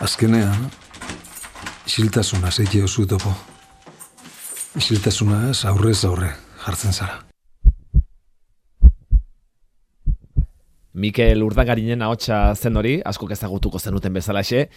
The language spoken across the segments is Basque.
Azkenean, isiltasuna zeite oso topo. Isiltasuna ez aurrez aurre jartzen zara. Mikel Urdangarinen ahotsa zen hori, askok ezagutuko zenuten bezalaxe.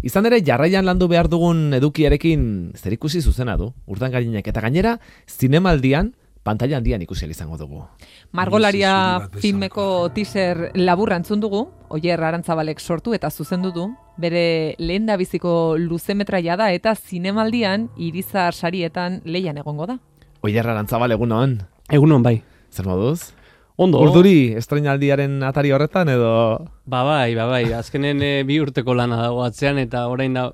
Izan ere, jarraian landu behar dugun edukiarekin zerikusi zuzena du. Urdangarinek eta gainera, zinemaldian, pantalla handian ikusi izango dugu. Margolaria filmeko teaser laburra entzun dugu, Oier Arantzabalek sortu eta zuzendu du. Bere lehendabiziko luzemetraia da eta zinemaldian Irizar sarietan lehian egongo da. Oier Arantzabal, egunon. Egunon, bai. Zer moduz? Ondo. Urduri estreinaldiaren atari horretan edo? Bai. Azkenen 2 urteko lana dago atzean eta orain da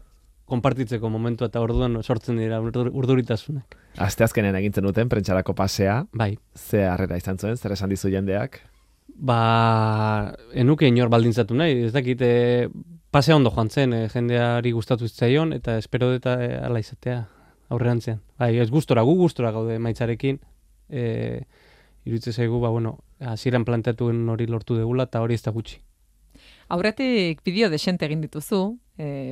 konpartitzeko momentu eta orduan sortzen dira urduritasunak. Asteazkenen egintzen duten prentsarako pasea. Bai. Ze harrera izan zuen, zer esan dizu jendeak? Enuke inor baldintzatu nahi, ez dakit pasea ondo joan zen, jendeari gustatu zitzaion eta espero dut ala izatea aurrerantzean. Bai, ez gustora gaude maitzarekin. Iruditzen zaigu, hasieran planteatuen hori lortu degula eta hori ez da gutxi. Aurretik bideo desente egin dituzu,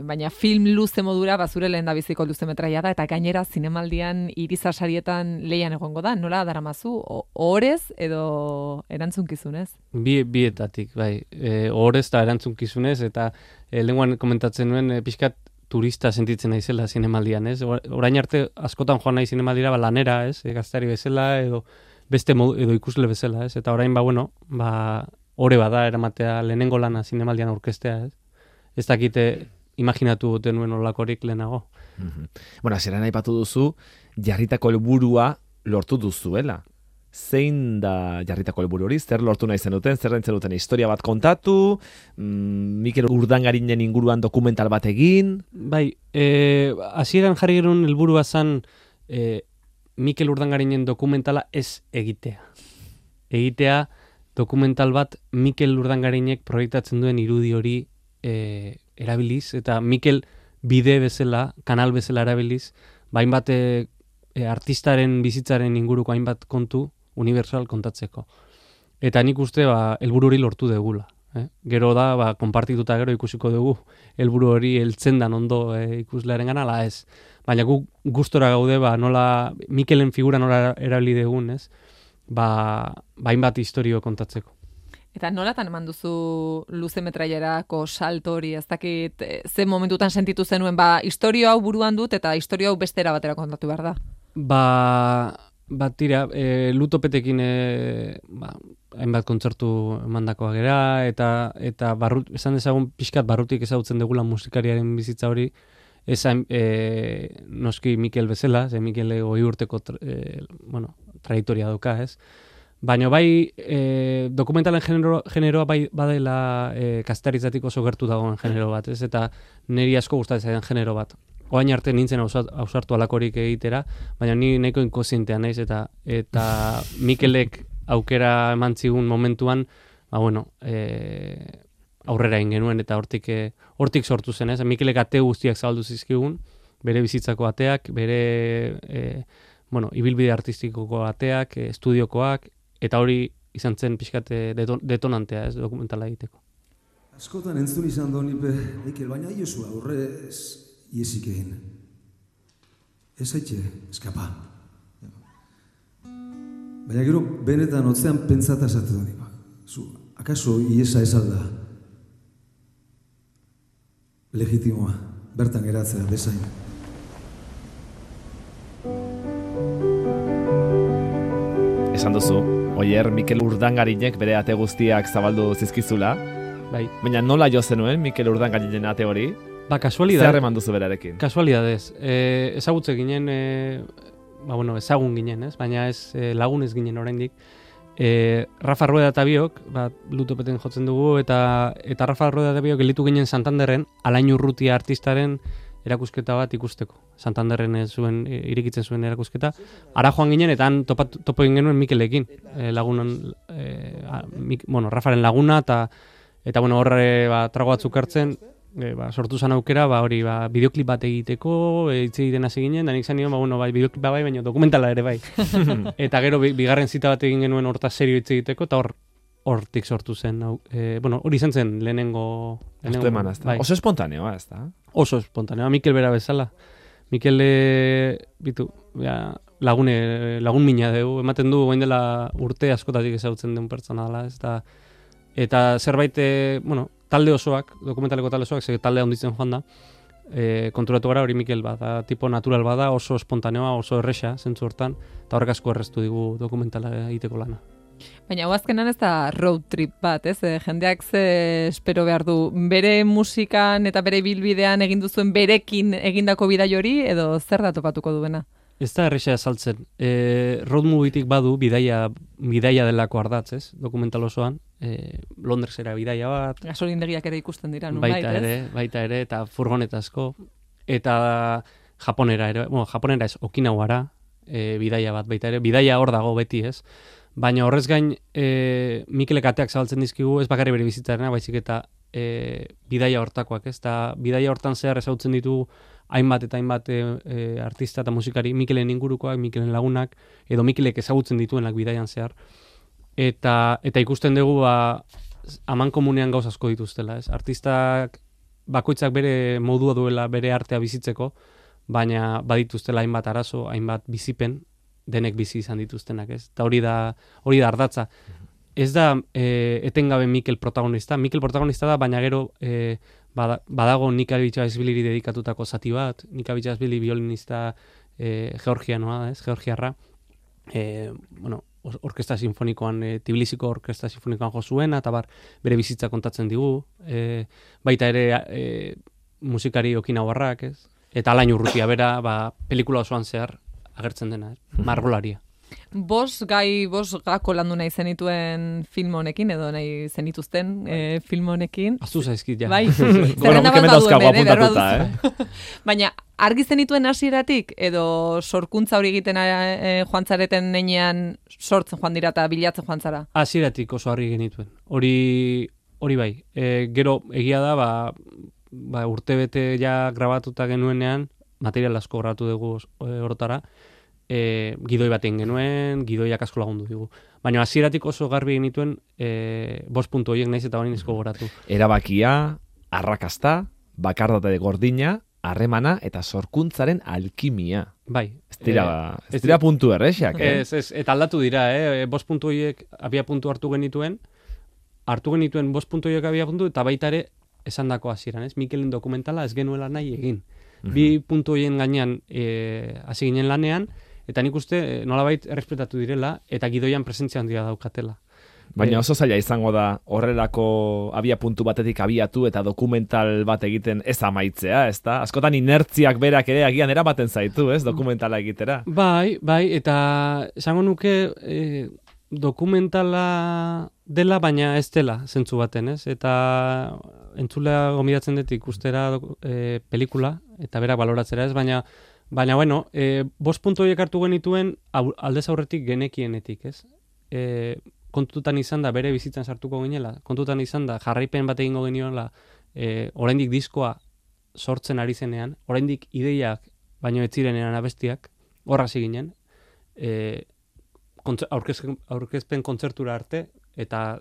baina film luze modura bazure lehendabiziko luzemetraia da eta gainera zinemaldian Irizar sarietan lehian egongo da. Nola daramazu? Ohorez edo erantzunkizunez? Bietatik, bai. Ohorez eta erantzunkizunez eta lenguan komentatzen nuen pixkat turista sentitzen naizela zinemaldian, ez? Orain arte askotan joan nahi zinemaldira lanera, ez? Gaztari bezala edo beste edo ikusle bezala, ez? Eta orain ore bada eramatea lehenengo lana zinemaldian aurkeztea, ez? Ez dakite imaginatu duten nuen olakorik lehenago. Hasieran aipatu duzu, jarritako helburua lortu duzuela. Zein da jarritako helburu hori? Zer lortu nahi zenuten? Zer nahi zenuten? Historia bat kontatu? Mikel Urdangarinen inguruan dokumental bat egin? Bai, hasieran jarri gerun helburua zan Mikel Urdangarinen dokumentala ez egitea. Egitea dokumental bat Mikel Urdangarinek proiektatzen duen irudi hori erabiliz, eta Mikel bide bezala, kanal bezala erabiliz, hainbat artistaren bizitzaren inguruko hainbat kontu universal kontatzeko. Eta nik uste helburu hori lortu degula. Gero da, konpartituta gero ikusiko dugu helburu hori heltzen dan ondo ikuslearen gana, ala ez. Baina gu gustora gaude, nola Mikelen figura nola erabili degun, ez? Hainbat historio kontatzeko. Eta nolatan eman duzu luzemetraiarako salto hori, ez dakit ze momentutan sentitu zenuen, historio hau buruan dut eta historio hau bestera batera kontatu behar da? Tira, Lutopetekin hainbat kontzertu emandakoa gera, eta esan dezagun pixkat barrutik ezagutzen degula musikariaren bizitza hori, esan noski Mikel bezala, ze Mikel 20 urteko trajektoria dauka, ez? Baina dokumentalen generoa badela kastaritzatik oso gertu dagoen genero bat, ez? Eta niri asko gustatzen zaidan genero bat. Oain arte nintzen ausartu alakorik egitera, baina ni nahiko inkozientea naiz, eta Mikelek aukera eman zigun momentuan, aurrera egin genuen, eta hortik sortu zen, ez? Mikelek ate guztiak zabaldu zizkigun, bere bizitzako ateak, bere ibilbide artistikoko ateak, estudiokoak, eta hori izan zen pixkat detonantea, ez, dokumentala egiteko. Askotan entzun izan donipe, Mikel, baina iosu aurrez iesik egin. Ez haitxe, eskapa. Baina gero, benetan otzean pentsata esatu donipa. Akaso iesa ez alda? Legitimoa, bertan geratzea, bezain. Esan duzu, Oier Mikel Urdangarinek bere ate guztiak zabaldu zizkizula. Bai. Baina nola jo zenuen Mikel Urdangarinen ate hori? Kasualidad. Zer eman duzu berarekin? Kasualidadez. Ezagutze ginen, ezagun ginen, ez? Baina ez lagunez ginen oraindik. Rafa Rueda eta biok, Lutopeten jotzen dugu, eta Rafa Rueda eta biok gelitu ginen Santanderren, Alain Urrutia artistaren erakusketa bat ikusteko. Santanderren irikitzen zuen erakusketa. Ara joan ginen, eta han topo egin genuen Mikelekin. Lagunan, Rafaren laguna, eta horre trago batzuk hartzen, sortu zan aukera, bideoklip bat egiteko, hitz egiten hasi ginen, da nik zan nion, bideoklip bai, baina dokumentala ere bai. Eta gero, bigarren zita bat egin genuen hortaz serio hitz egiteko, eta hortik sortu zen. Hori izan zen lehenengo... Bai. Oso espontaneoa, ez da? Oso espontaneo, Mikel bera bezala. Mikel lagun mina dugu, ematen du orain dela urte askotatik ezagutzen den pertsona dela, ez da. Eta zerbait, talde osoak, dokumentaleko talde osoak, talde handitzen joan da, konturatu gara hori Mikel bada, tipo natural bada, oso espontaneoa, oso erresa, zentzu hortan, eta horrek asko erreztu digu dokumentala egiteko lana. Baina azkenan ez da road trip bat, ez? Jendeak ze espero behar du, bere musikan eta bere bilbidean egin duzuen berekin egindako bidai hori, edo zer da topatuko duena? Ez da erresa saltzen. Road movietik badu bidaia delako ardatz, ez? Dokumental osoan. Londresera bidaia bat. Gasolindegiak ere ikusten dira, nunbait, ez? Baita ere, eta furgonetazko. Eta Japonera ere, Japonera ez, Okinawara bidaia bat baita ere. Bidaia hor dago beti, ez? Baina horrez gain, Mikelek ateak zabaltzen dizkigu, ez bakarri bere bizitzarena, baizik eta bidaia hortakoak, ez? Eta bidaia hortan zehar ezautzen ditu hainbat eta hainbat artista eta musikari, Mikelen ingurukoak, Mikelen lagunak, edo Mikelek ezagutzen dituenak bidaian zehar. Eta ikusten dugu, aman komunean gauz asko dituztela, ez? Artistak bakoitzak bere modua duela, bere artea bizitzeko, baina badituztela hainbat arazo, hainbat bizipen, denek bizi izan dituztenak, ez? Eta hori da ardatza. Ez da etengabe Mikel protagonista da, baina gero badago Nika Bitxasbiliri dedikatutako zati bat, Nika Bitxasbili violinista georgianoa, ez? Georgiarra. Orkestra sinfonikoan, Tbilisiko orkestra sinfonikoan jo zuena, eta bere bizitza kontatzen digu. Baita ere musikari Okinawarrak, ez? Eta Alain Urrutia bera, pelikula osoan zehar agertzen dena, margolaria. Bost gako landu nahi zenituen film honekin, edo nahi zenituzten film honekin. Aztu zaizkit, ja. Bai, zerrenda bat baduen, apuntatuta, Baina, argi zenituen hasieratik, edo sorkuntza hori egiten joan zareten neinean sortzen joan dira eta bilatzen joan zara? Hasieratik oso argi genituen. Hori bai. Gero, egia da, urtebete ja grabatuta genuenean, material asko grabatu dugu orotara, gidoi baten genuen, gidoiak asko lagundu digu. Baina hasieratik oso garbi genituen 5 puntu horiek naiz eta bain izko goratu. Erabakia, arrakasta, bakardate gordina, harremana eta sorkuntzaren alkimia. Bai. Ez dira puntu errexak, Ez, eta aldatu dira, 5 puntu horiek abia puntu hartu genituen 5 puntu horiek abia puntu, eta baita ere esandako hasieran, ez? Mikelen dokumentala ez genuela nahi egin. 2 puntu horien gainean hasi ginen lanean, eta nik uste nolabait errespetatu direla, eta gidoian presentzia handia daukatela. Baina oso zaila izango da horrelako abia puntu batetik abiatu eta dokumental bat egiten ez amaitzea, ez da? Askotan inertziak berak ere agian eramaten zaitu, ez? Dokumentala egitera. Bai, eta esango nuke dokumentala dela, baina ez dela zentzu baten, ez? Eta entzulea gomidatzen dut ikustera pelikula, eta berak baloratzera, ez? Baina bueno, 5 puntu horiek hartu genituen aldez aurretik genekienetik, ez? Kontutan izan da bere bizitzan sartuko ginela, kontutan izan da jarraipen bat egingo genioela, oraindik diskoa sortzen ari zenean, oraindik ideiak baino ez zirenean abestiak, horra hasi ginen, aurkezpen kontzertura arte, eta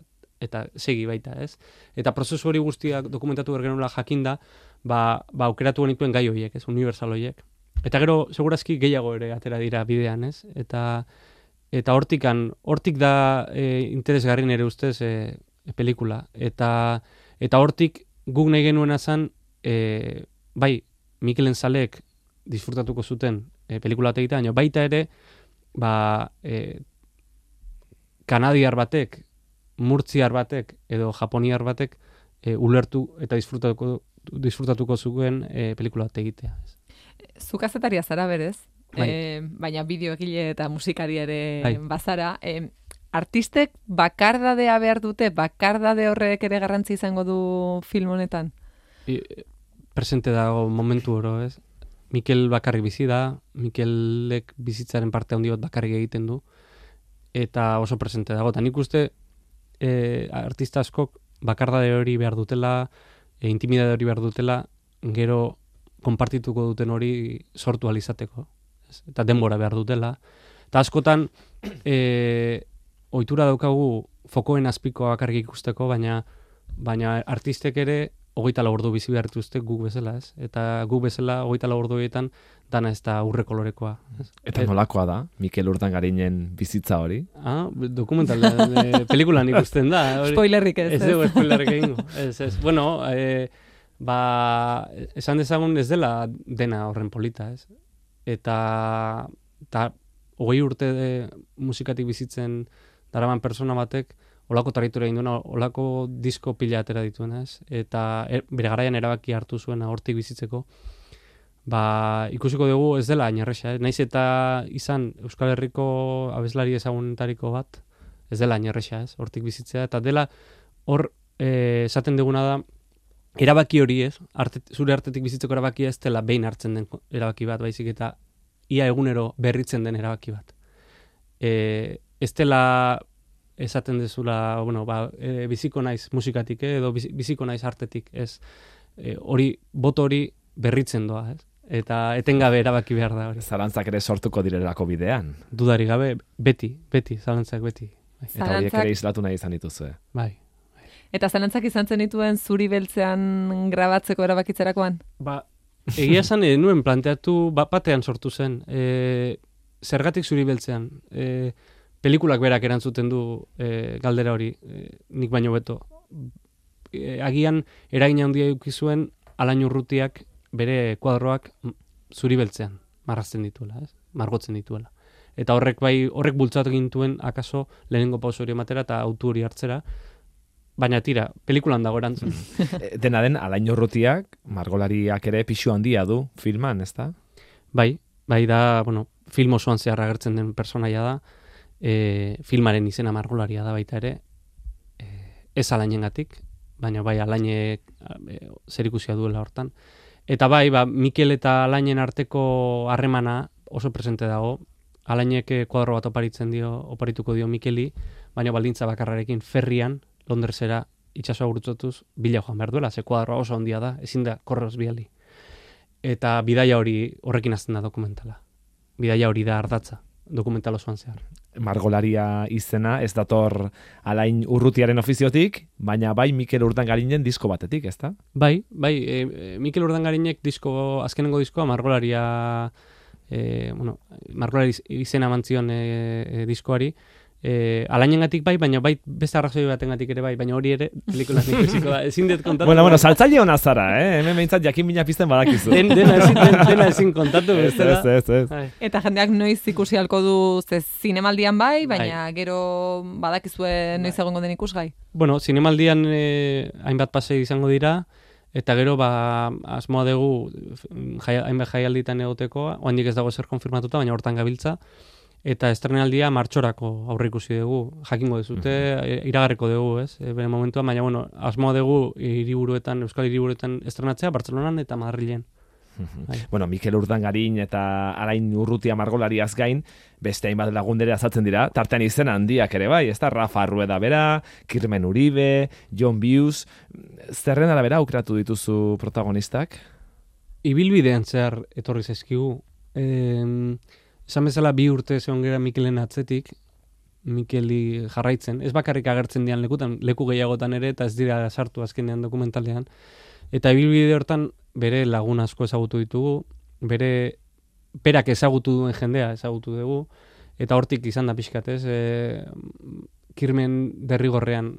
segi baita, ez? Eta prozesu hori guztiak dokumentatu bergenuela jakinda, aukeratu genituen gai horiek, ez? Universal horiek. Eta gero, segurazki gehiago ere atera dira bidean, ez? Eta hortik da interesgarri nere ustez pelikula. Eta hortik guk nahi genuena zen, bai, Mikelen zaleek disfrutatuko zuten pelikula egitea, baina baita ere, kanadiar batek, murtziar batek edo japoniar batek ulertu eta disfrutatuko zuen pelikula egitea. Zu kazetaria zara berez, baina bideoegile eta musikari ere bazara. Artistek bakardadea behar dute, bakardade horrek ere garrantzi izango du film honetan? Presente dago momentu oro, ez? Mikel bakarrik bizi da, Mikelek bizitzaren parte handi bat bakarrik egiten du, eta oso presente dago. Eta nik uste artista askok bakardade hori behar dutela, intimidade hori behar dutela, gero konpartituko duten hori sortu alizateko. Eta denbora behar dutela. Eta askotan, ohitura daukagu fokoen azpiko bakarrik ikusteko, baina artistek ere 24 ordu bizi behar dituzte guk bezala, ez? Eta guk bezala 24 orduetan dana ez da urre kolorekoa. Ez? Eta nolakoa da, Mikel Urdangarinen bizitza hori? Dokumental, pelikulan ikusten da. Spoilerrik ez. Ez dugu spoilerrik egingo. Ez. Bueno, esan dezagun ez dela dena horren polita, ez? Eta 20 urte musikatik bizitzen daraman persona batek, olako territoria egin duena, olako disko pila atera dituena, ez? Eta bere garaian erabaki hartu zuena hortik bizitzeko, ikusiko dugu ez dela ainerresa, naiz eta izan Euskal Herriko abeslari ezagunetariko bat, ez dela ainerresa, ez? Hortik bizitzea, eta dela hor esaten duguna da, erabaki hori ez, zure artetik bizitzeko erabakia ez dela behin hartzen den erabaki bat, baizik eta ia egunero berritzen den erabaki bat. Ez dela esaten dezula, biziko naiz musikatik, edo biziko naiz artetik, ez. Boto hori berritzen doa, ez. Eta etengabe erabaki behar da hori. Zalantzak ere sortuko direlako bidean. Dudari gabe, beti, zalantzak beti. Eta horiek ere islatu nahi izan dituzue. Bai. Eta zalantzak izan zen dituen zuri beltzean grabatzeko erabakitzerakoan? Egia esan nuen planteatu batean sortu zen. Zergatik zuri beltzean. Pelikulak berak erantzuten du galdera hori, nik baino beto. Agian eragina handia eduki zuen Alain Urrutiak bere kuadroak zuri beltzean marrazten dituela, ez? Margotzen dituela. Eta horrek bultzatu gintuen akaso lehenengo pauso hori ematera eta autu hori hartzera, baina tira, pelikulan dago erantzun. Dena den, Alain Urrutiak, margolariak ere pixu handia du filman, ez da? Bai da, film osoan zehar agertzen den personaia da, filmaren izena margolaria da baita ere, ez Alainengatik, baina bai Alainek zerikusia duela hortan. Eta bai, Mikel eta Alainen arteko harremana oso presente dago. Alainek kuadro bat oparituko dio Mikeli, baina baldintza bakarrarekin ferrian, Londresera itsasoa gurutzatuz bila joan behar duela, ze kuadroa oso handia da, ezin da korroz biali. Eta bidaia horrekin hasten da dokumentala. Bidaia hori da ardatza, dokumental osoan zehar. Margolaria izena ez dator Alain Urrutiaren ofiziotik, baina bai Mikel Urdangarinen disko batetik, ez da? Bai, Mikel Urdangarinek azkenengo diskoa margolaria, margolari izena mantzion diskoari, Alainengatik bai, baina bai beste arrazoi batengatik ere bai, baina hori ere pelikulan ikusiko da. Ezin dut kontatu. Bueno, saltzaile ona zara, hemen behintzat jakin mina pizten badakizu. Dena ezin kontatu. Ez. Eta jendeak noiz ikusi halko du zinemaldian bai, baina gero badakizue noiz egongo den ikusgai. Bueno, zinemaldian hainbat pasei izango dira, eta gero asmoa dugu hainbat jaialditan egoteko, oandik ez dago zer konfirmatuta, baina hortan gabiltza. Eta estrenaldia martxorako aurreikusi dugu, jakingo dezute, iragarriko dugu, ez? Bere momentuan, baina, asmoa dugu Euskal hiriburuetan estrenatzea, Bartzelonan eta Madrilen. Bueno, Mikel Urdangarin eta Alain Urrutia margolariaz gain, beste hainbat lagundere azaltzen dira, tartean izen handiak ere bai, ez da? Rafa Rueda bera, Kirmen Uribe, John Bius, zerren arabera aukeratu dituzu protagonistak? Ibilbidean zehar etorri zaizkigu. Esan bezala 2 urte zegoen gara Mikelen atzetik, Mikeli jarraitzen. Ez bakarrik agertzen dian lekutan, leku gehiagotan ere, eta ez dira sartu azkenean dokumentalean. Eta ibilbide hortan bere lagun asko ezagutu ditugu, berak ezagutu duen jendea ezagutu dugu, eta hortik izan da pixkatez, Kirmen derrigorrean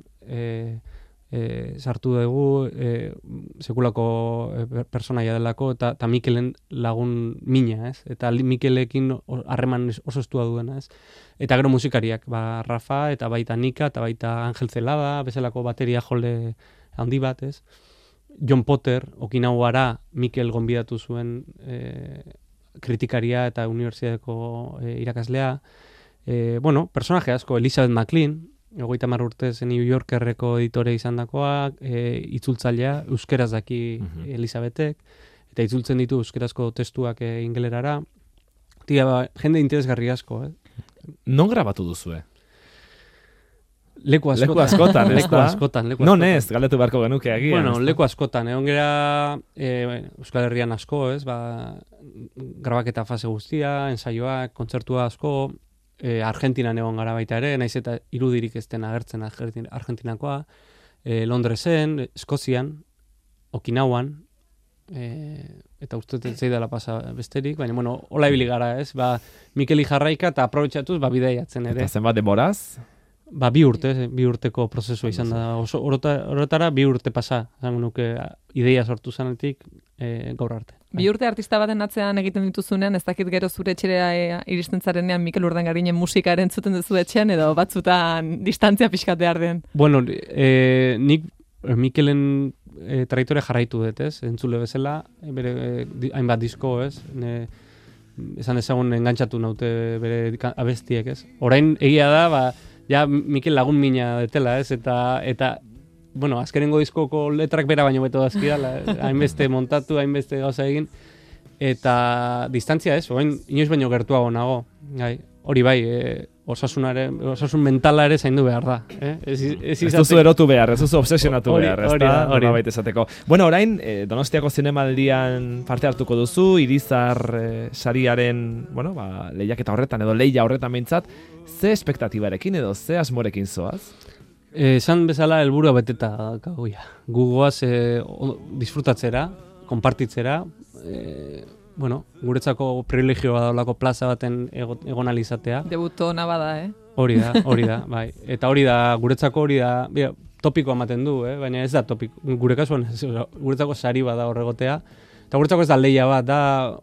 sartu dugu, sekulako personaia delako, eta Mikelen lagun mina, ez? Eta Mikelekin harreman oso estua duena, ez? Eta gero musikariak, Rafa, eta baita Nika, eta baita Angel Zelada, bezalako bateria jole handi bat, ez? John Potter, Okinawara Mikel gonbidatu zuen kritikaria eta unibertsitateko irakaslea. Personaje asko, Elizabeth McLean, 30 urtez New Yorkerreko editore izandakoa, itzultzailea, euskeraz daki Elizabetek, eta itzultzen ditu euskerazko testuak ingelerara. Jende interesgarri asko. Non grabatu duzue? Leku askotan, ez da? Non ez, galdetu beharko genuke agian. Bueno, leku askotan, egon gera Euskal Herrian asko, ez? Grabaketa fase guztia, ensaioak, kontzertua asko, Argentinan egon gara baita ere, naiz eta irudirik ez den agertzen Argentinakoa, Londresen, Eskozian, Okinauan, eta uste dut zeidala pasa besterik, baina, bueno, hola ibili gara, ez? Mikeli jarraika eta aprobetxatuz, bideiatzen ere. Eta zenbat denboraz? 2 urteko prozesua izan da. Horretara 2 urte pasa, zango nuke ideia sortu zanetik gaur arte. 2 urte artista baten atzean egiten dituzunean, ez dakit gero zure etxera iristen zarenean Mikel Urdangarinen musika entzuten duzu etxean, edo batzutan distantzia pixkat behar den? Bueno, nik Mikelen traitore jarraitu dut, ez? Entzule bezala, bere hainbat disko, ez? Esan ezagun engantzatu naute bere abestiek, ez? Orain egia da, ja Mikel lagun mina detela, ez? Eta bueno, azkenengo diskoko letrak bera baino beto dazkidala, hainbeste montatu, hainbeste gauza egin, eta distantzia, ez? Orain inoiz baino gertuago nago, hori bai, osasun mentala ere zaindu behar da. Ez duzu erotu behar, ez duzu obsesionatu behar, ez da? Hori da. Esateko. Bueno, orain, Donostiako zinemaldian parte hartuko duzu, Irizar sariaren, bueno, lehiaketa horretan, edo lehia horretan behintzat, ze espektatibarekin edo ze asmorekin zoaz? Esan bezala helburua beteta gauia. Gugoaz disfrutatzera, konpartitzera, bueno, guretzako privilegioa daulako plaza baten egon alizatea. Debuto ona bada, Hori da, bai. Eta guretzako hori da, topikoa ematen du, baina ez da topiko. Gure kasuan, guretzako sari bada horregotea. Eta guretzako ez da lehia bat, da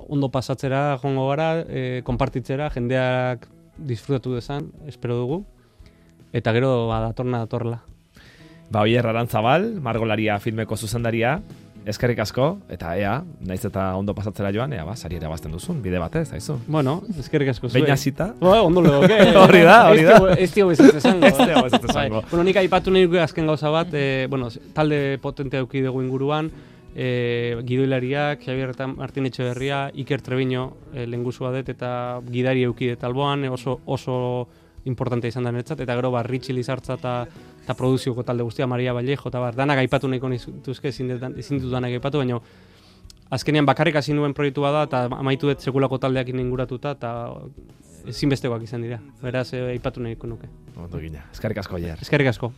ondo pasatzera, joango gara, konpartitzera, jendeak disfrutatu dezan, espero dugu. Eta gero, datorrela. Oier Arantzabal, Margolaria filmeko zuzendaria, eskerrik asko, eta naiz eta ondo pasatzera joan, sari irabazten duzun, bide batez, haizu. Bueno, eskerrik asko zuen. Beina zita. Ondo legoke. Hori da. Ez dio bezatzen zango. Ez dio bezatzen zango. Bueno, nik aipatu nahi azken gauza bat, talde potentea eduki dugu inguruan, gidoilariak, Javier Martin Etxeberria, Iker Treviño lehengusua dut, eta gidari eduki dut alboan, oso importante izan da netzat, eta gero Ritxi Lizartza eta produzioko talde guztia, Maria Vallejo, eta danak aipatu nahiko nizutuzke, ezin ditut danak aipatu, baina azkenean bakarrik hasi nuen proiektu bada, eta amaitu dut sekulako taldeak inguratuta, eta ezinbestekoak izan dira. Beraz, aipatu nahiko nuke. Ondo gina. Eskerrik asko, Oier. Eskerrik asko.